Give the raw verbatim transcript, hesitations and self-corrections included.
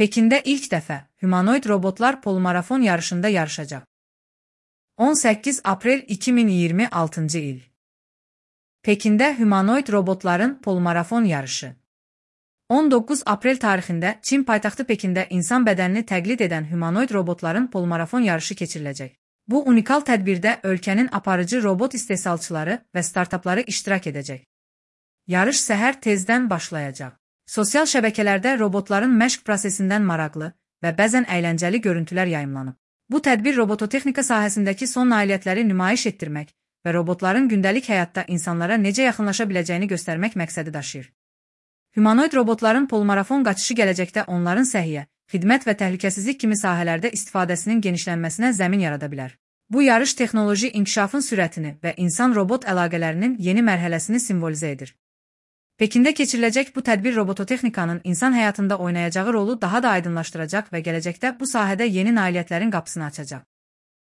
Pekində ilk dəfə humanoid robotlar polmarafon yarışında yarışacaq. on səkkiz aprel iki min iyirmi altıncı il. Pekində humanoid robotların polmarafon yarışı. on doqquz aprel tarixində Çin paytaxtı Pekində insan bədənini təqlid edən humanoid robotların polmarafon yarışı keçiriləcək. Bu unikal tədbirdə ölkənin aparıcı robot istehsalçıları və startapları iştirak edəcək. Yarış səhər tezdən başlayacaq. Sosial şəbəkələrdə robotların məşq prosesindən maraqlı və bəzən əyləncəli görüntülər yayımlanıb. Bu tədbir robototexnika sahəsindəki son nailiyyətləri nümayiş etdirmək və robotların gündəlik həyatda insanlara necə yaxınlaşa biləcəyini göstərmək məqsədi daşıyır. Humanoid robotların polmarafon qaçışı gələcəkdə onların səhiyyə, xidmət və təhlükəsizlik kimi sahələrdə istifadəsinin genişlənməsinə zəmin yarada bilər. Bu yarış texnoloji inkişafın sürətini və insan-robot əlaqələrinin yeni mərhələsini simvolizə edir. Pekində keçiriləcək bu tədbir robototexnikanın insan həyatında oynayacağı rolu daha da aydınlaşdıracaq və gələcəkdə bu sahədə yeni nailiyyətlərin qapısını açacaq.